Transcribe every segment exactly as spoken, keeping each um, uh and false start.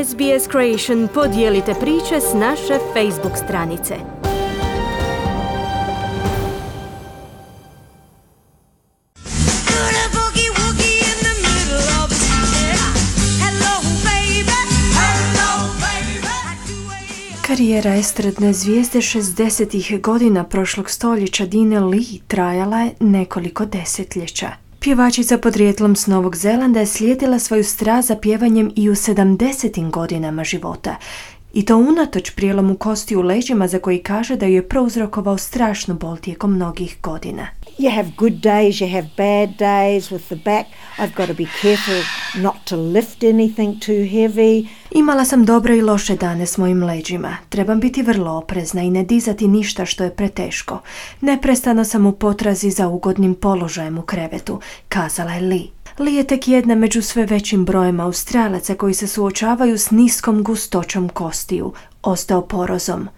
S B S Creation podijelite priče s naše Facebook stranice. Karijera estradne zvijezde šezdesetih godina prošlog stoljeća Dine Lee trajala je nekoliko desetljeća. Pjevačica podrijetlom s Novog Zelanda je slijedila svoju strast za pjevanjem i u sedamdesetim godinama života. I to unatoč prijelomu kosti u leđima za koji kaže da ju je prouzrokovao strašnu bol tijekom mnogih godina. You have good days, you have bad days with the back. I've got to be careful not to lift anything too heavy. Imala sam dobre i loše dane s mojim leđima. Trebam biti vrlo oprezna i ne dizati ništa što je preteško. Neprestano sam u potrazi za ugodnim položajem u krevetu, kazala je Lee. Lee je tek jedna među sve većim brojem Australaca koji se suočavaju s niskom gustoćom kostiju, osteoporozom.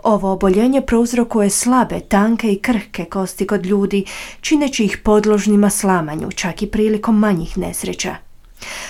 Ovo oboljenje prouzrokuje slabe, tanke i krhke kosti kod ljudi, čineći ih podložnima slamanju, čak i prilikom manjih nesreća.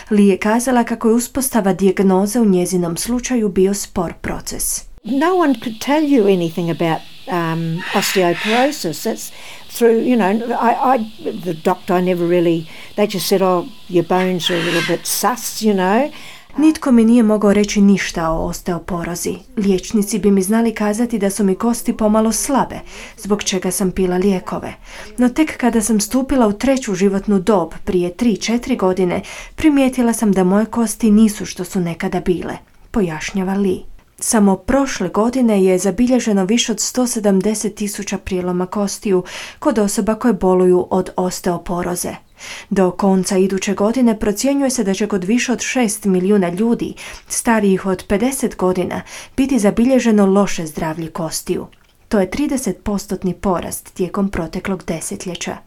Lee je kazala kako je uspostava dijagnoze u njezinom slučaju bio spor proces. No one could tell you anything about um, osteoporosis. It's through, you know, I, I, the doctor never really, they just said, oh, your bones are a little bit sus, you know. Nitko mi nije mogao reći ništa o osteoporozi. Liječnici bi mi znali kazati da su mi kosti pomalo slabe, zbog čega sam pila lijekove. No tek kada sam stupila u treću životnu dob, prije tri četiri godine, primijetila sam da moje kosti nisu što su nekada bile, pojašnjava Lee. Samo prošle godine je zabilježeno više od sto sedamdeset tisuća prijeloma kostiju kod osoba koje boluju od osteoporoze. Do konca iduće godine procjenjuje se da će kod više od šest milijuna ljudi, starijih od pedeset godina, biti zabilježeno loše zdravlje kostiju. To je trideset postotni porast tijekom proteklog desetljeća.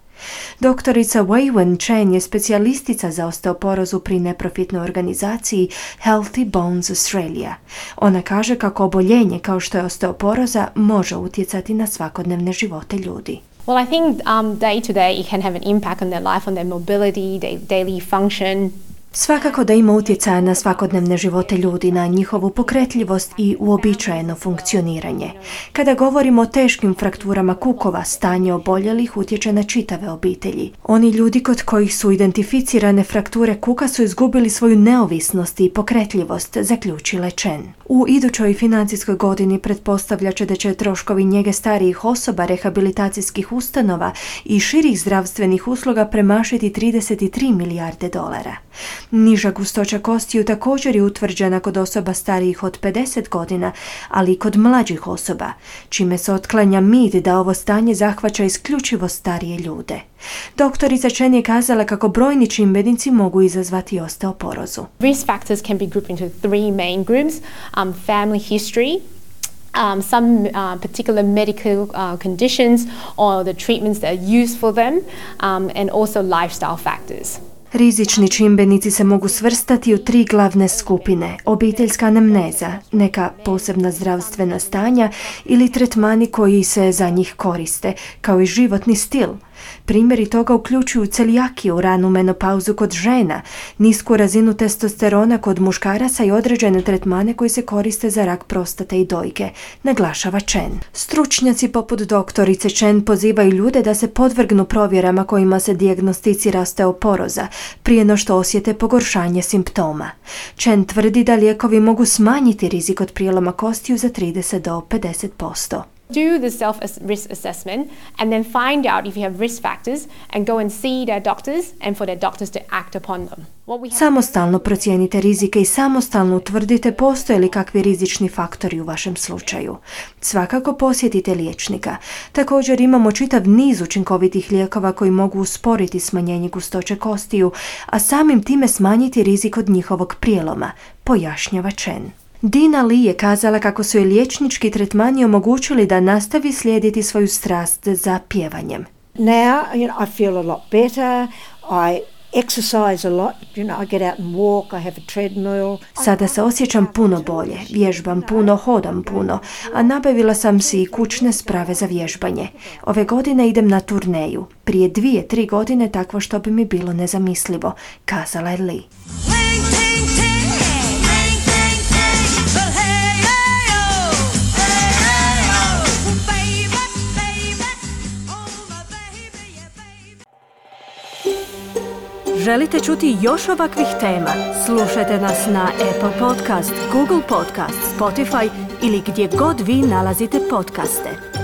Doktorica Wei-Wen Chen je specijalistica za osteoporozu pri neprofitnoj organizaciji Healthy Bones Australia. Ona kaže kako oboljenje kao što je osteoporoza može utjecati na svakodnevne živote ljudi. Well, I think um, day to day it can have an impact on their life, on their mobility, their daily function. Svakako da ima utjecaja na svakodnevne živote ljudi, na njihovu pokretljivost i uobičajeno funkcioniranje. Kada govorimo o teškim frakturama kukova, stanje oboljelih utječe na čitave obitelji. Oni ljudi kod kojih su identificirane frakture kuka su izgubili svoju neovisnost i pokretljivost, zaključila Chen. U idućoj financijskoj godini pretpostavlja će da će troškovi njege starijih osoba, rehabilitacijskih ustanova i širih zdravstvenih usluga premašiti trideset tri milijarde dolara. Niža gustoća kostiju također je utvrđena kod osoba starijih od pedeset godina, ali i kod mlađih osoba, čime se otklanja mit da ovo stanje zahvaća isključivo starije ljude. Doktorica Chen je kazala kako brojni čimbenici mogu izazvati osteoporozu. Risk factors can be grouped into three main groups: um, family history, Um, some uh, particular medical uh, conditions or the treatments that are used for them, um, and also lifestyle factors. Rizični čimbenici se mogu svrstati u tri glavne skupine: obiteljska anamneza, neka posebna zdravstvena stanja ili tretmani koji se za njih koriste, kao i životni stil. Primjeri toga uključuju celijakiju, ranu menopauzu kod žena, nisku razinu testosterona kod muškaraca i određene tretmane koji se koriste za rak prostate i dojke, naglašava Chen. Stručnjaci poput doktorice Chen pozivaju ljude da se podvrgnu provjerama kojima se dijagnosticira osteoporoza prije no što osjete pogoršanje simptoma. Chen tvrdi da lijekovi mogu smanjiti rizik od prijeloma kostiju za trideset do pedeset posto. Do the self-risk assessment and then find out if you have risk factors and go and see their doctors and for their doctors to act upon them. Samostalno procijenite rizike i samostalno utvrdite postoje li kakvi rizični faktori u vašem slučaju. Svakako posjetite liječnika. Također imamo čitav niz učinkovitih lijekova koji mogu usporiti smanjenje gustoće kostiju, a samim time smanjiti rizik od njihovog prijeloma, pojašnjava Chen. Dina Lee je kazala kako su je liječnički tretmani omogućili da nastavi slijediti svoju strast za pjevanjem. Now, you know, I feel a lot better. I exercise a lot. You know, I get out and walk. I have a treadmill. Sada se osjećam puno bolje, vježbam puno, hodam puno, a nabavila sam si i kućne sprave za vježbanje. Ove godine idem na turneju. Prije dvije, tri godine takvo što bi mi bilo nezamislivo, kazala je Lee. Želite čuti još ovakvih tema? Slušajte nas na Apple Podcast, Google Podcast, Spotify ili gdje god vi nalazite podcaste.